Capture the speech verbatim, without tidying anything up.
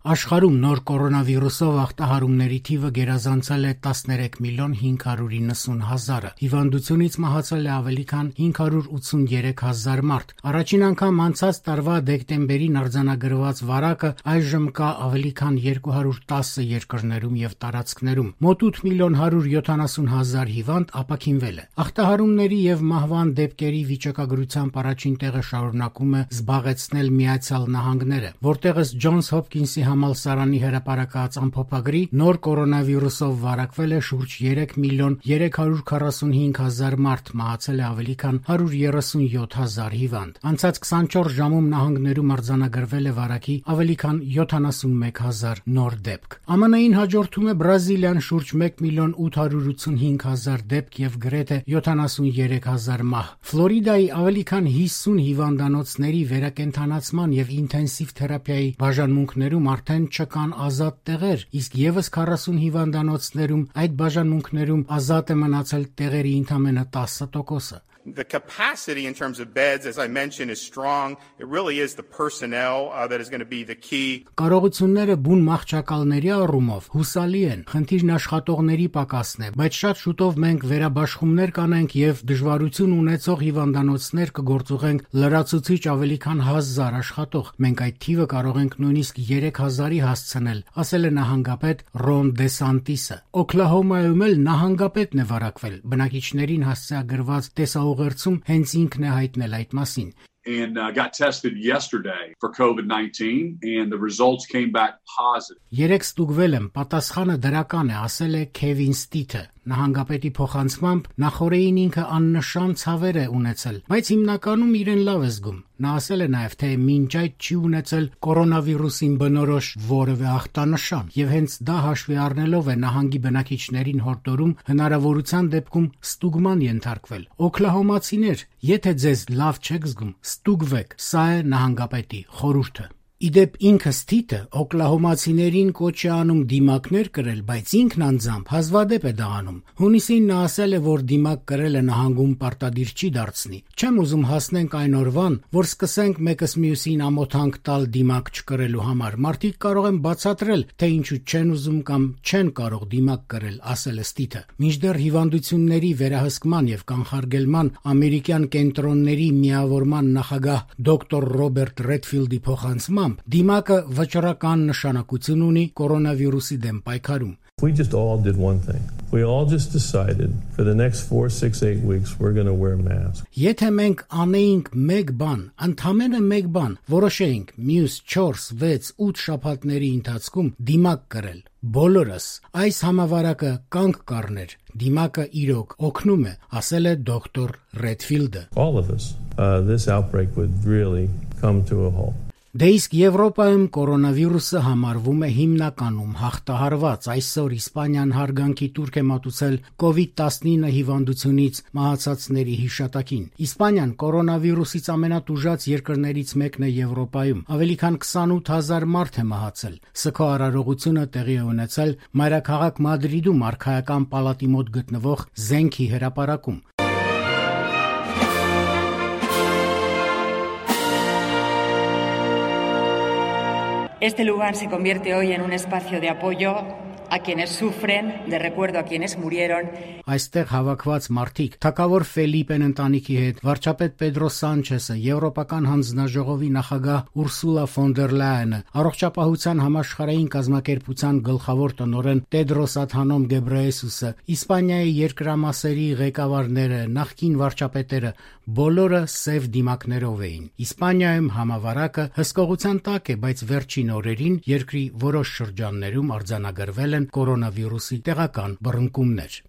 Աշխարհում նոր կորոնավիրուսով ախտահարումների թիվը գերազանցել է տասներեք միլիոն հինգ հարյուր իննսուն հազարը։ Հիվանդությունից մահացել է ավելի քան հինգ հարյուր ութսուներեք հազար մարդ։ Առաջին անգամ անցած տարվա դեկտեմբերին արձանագրված վարակը այժմ կա ավելի քան երկու հարյուր տասը երկրներում եւ տարածքներում։ Մոտ ութ միլիոն հարյուր յոթանասուն հազար հիվանդ ապաքինվել է։ Ախտահարումների եւ մահվան դեպքերի վիճակագրությամբ առաջին տեղը շարունակում է զբաղեցնել Միացյալ Նահանգները, որտեղ ըստ Ջոնս Հոփքինսի համալսարանի հրապարակած ամփոփագրի նոր կորոնավիրուսով վարակվել է շուրջ երեք միլիոն երեք հարյուր քառասունհինգ հազար մարդ, մահացել է ավելի քան հարյուր երեսունյոթ հազար հիվանդ։ Անցած քսանչորս ժամում նահանգներում արձանագրվել է վարակի ավելի քան յոթանասունմեկ հազար նոր դեպք։ ԱՄՆ-ին հաջորդում է Բրազիլիան շուրջ մեկ միլիոն ութ հարյուր ութսունհինգ հազար դեպք եւ գրեթե յոթանասուներեք հազար մահ։ Ֆլորիդայի ավելի քան հիսուն հիվանդանոցների վերակենդանացման եւ ինտենսիվ թերապիայի բաժանմունքներում արդեն չկան ազատ տեղեր, իսկ եւս քառասուն հիվանդանոցներում այդ բաժանմունքներում ազատ է մնացել տեղերի ընդամենը տասը տոկոսը։ The capacity in terms of beds, as I mentioned, is strong. It really is the personnel uh, that is going to be the key. Կարողությունները բուն մահճակալների առումով հուսալի են, խնդիրն աշխատողների պակասն է, բայց շատ շուտով մենք վերաբաշխումներ կանենք եւ դժվարություն ունեցող հիվանդանոցներ կգործուղենք լրացուցիչ ավելի քան հազար աշխատող։ Մենք այդ թիվը կարող ենք նույնիսկ երեք հազարի հասցնել, ասել է նահանգապետ Ռոն Դեսանտիսը։ Օքլահոմայում էլ նահանգապետն է վարակվել։ Բնակիչներին հասցեագրված տեսա ուղերձում հենց ինքն է հայտնել այդ մասին։ And uh, got tested yesterday for COVID nineteen and the results came back positive. Երեք ստուգվել եմ, պատասխանը դրական է, ասել է Քևին Ստիթը։ Նահանգապետի փոխանցմամբ նախորդին ինքը աննշան ցավեր է ունեցել, բայց հիմնականում իրեն լավ է զգում։ Նա ասել է նաև, թե մինչ այդ չի ունեցել կորոնավիրուսին բնորոշ որևէ ախտանշան, եւ հենց դա հաշվի առնելով է նահանգի բնակիչներին հորդորում հնարավորության դեպքում ստուգման ենթարկվել։ Օքլահոմացիներ, եթե ձեզ լավ չեք զգում, ստուգվեք։ Սա է նահանգապետի խորհուրդը։ Իդեպ ինքը Ստիթը օքլահոմացիներին կոչ է անում դիմակներ կրել, բայց ինքն անձամբ հազվադեպ է դա անում։ Հունիսին նա ասել է, որ դիմակ կրելը նահանգում պարտադիր չի դարձնի։ Չեմ ուզում հասնենք այն օրվան, որ սկսենք մեկս մյուսին ամոթանք տալ դիմակ չկրելու համար։ Մարդիկ կարող են բացատրել, թե ինչու չեն ուզում կամ չեն կարող դիմակ կրել, ասել է Ստիթը։ Մինչդեռ հիվանդությունների վերահսկման եւ կանխարգելման ամերիկյան կենտրոնների միավորման նախագահ դոկտոր Ռոբերտ Ռեդֆիլդի փոխանցմամբ դիմակը վճռական նշանակություն ունի կորոնավիրուսի դեմ պայքարում։ We just all did one thing. We all just decided for the next four, six, eight weeks we're going to wear masks. Եթե մենք անեինք մեկ բան, ընդամենը մեկ բան, որոշեինք մյուս չորս, վեց, ութ շաբաթների ընթացքում դիմակ կրել։ Բոլորս այս համավարակը կանգ կառներ։ Դիմակը իրոք օգնում է, ասել է դոկտոր Ռեդֆիլդը։ All of us, uh, this outbreak would really come to a halt. Դե իսկ Եվրոպայում կորոնավիրուսը համարվում է հիմնականում հաղթահարված։ Այսօր Իսպանիան հարգանքի տուրք է մատուցել կովիդ տասնինը հիվանդությունից մահացածների հիշատակին։ Իսպանիան կորոնավիրուսից ամենատուժած երկրներից մեկն է Եվրոպայում։ Ավելի քան քսանութ հազար մարդ է մահացել։ Սգո արարողությունը տեղի է ունեցել մայրաքաղաք Մադրիդում արքայական պալատի մոտ գտնվող զենքի հրապարակում։ Este lugar se convierte hoy en un espacio de apoyo a quienes sufren, de recuerdo a quienes murieron. Այստեղ հավաքված մարդիկ, թագավոր Ֆելիպեն ընտանիքի հետ, վարչապետ Պեդրո Սանչեսը, Եվրոպական հանձնաժողովի նախագահ Ուրսուլա ֆոն դեր Լայենը, առողջապահության համաշխարհային կազմակերպության գլխավոր տնօրեն Տեդրոս Ադհանոմ Գեբրեյեսուսը, Իսպանիայի երկրամասերի ղեկավարները, նախկին վարչապետերը, բոլորը սև դիմակներով էին։ Իսպանիայում համավարակը հսկողության տակ է, բայց վերջին օրերին երկրի որոշ շրջաններում արձանագրվել են կորոնավիրուսի տեղական բռնկումներ։